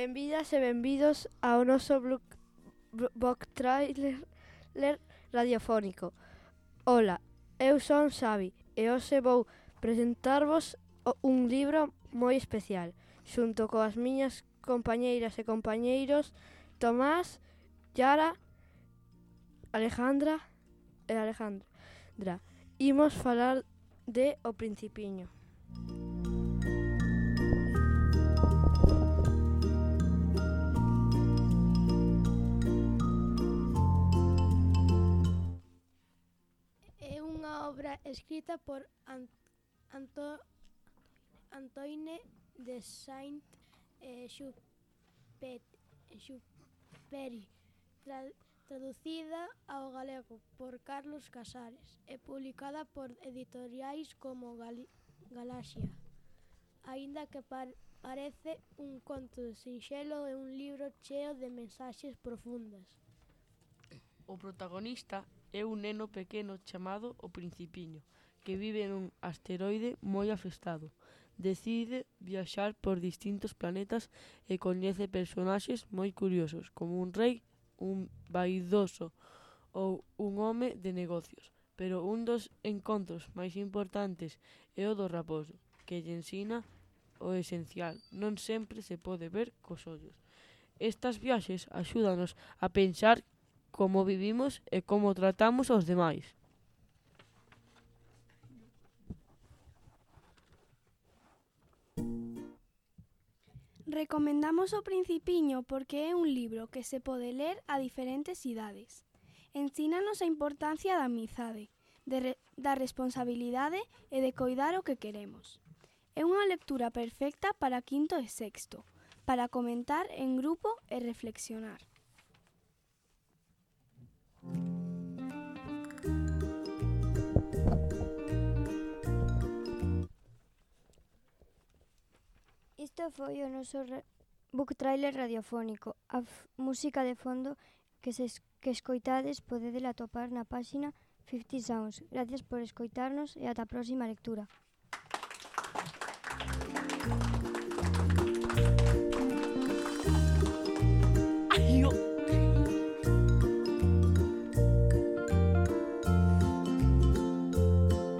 Benvidas e benvidos ao noso book trailer radiofónico. Ola, eu son Xavi e hoxe vou presentarvos un libro moi especial, xunto coas miñas compañeiras e compañeiros Tomás, Yara, Alejandra. Imos falar de O Principiño. É unha obra escrita por Antoine de Saint-Exupéry, traducida ao galego por Carlos Casares e publicada por editoriais como Galaxia. Aínda que parece un conto sinxelo, é un libro cheo de mensaxes profundas. O protagonista é un neno pequeno chamado O Principiño, que vive nun asteroide moi afestado. Decide viaxar por distintos planetas e coñece personaxes moi curiosos, como un rei, un vaidoso ou un home de negocios. Pero un dos encontros máis importantes é o do raposo, que lle ensina o esencial. Non sempre se pode ver cos ollos. Estas viaxes axúdanos a pensar como vivimos e como tratamos aos demais. Recomendamos O Principiño porque é un libro que se pode ler a diferentes idades. Ensínanos a importancia da amizade, da responsabilidade e de coidar o que queremos. É unha lectura perfecta para quinto e sexto, para comentar en grupo e reflexionar. Isto foi o noso book trailer radiofónico. A música de fondo que escoitades podedela atopar na páxina 50 Sounds. Gracias por escoitarnos e ata a próxima lectura.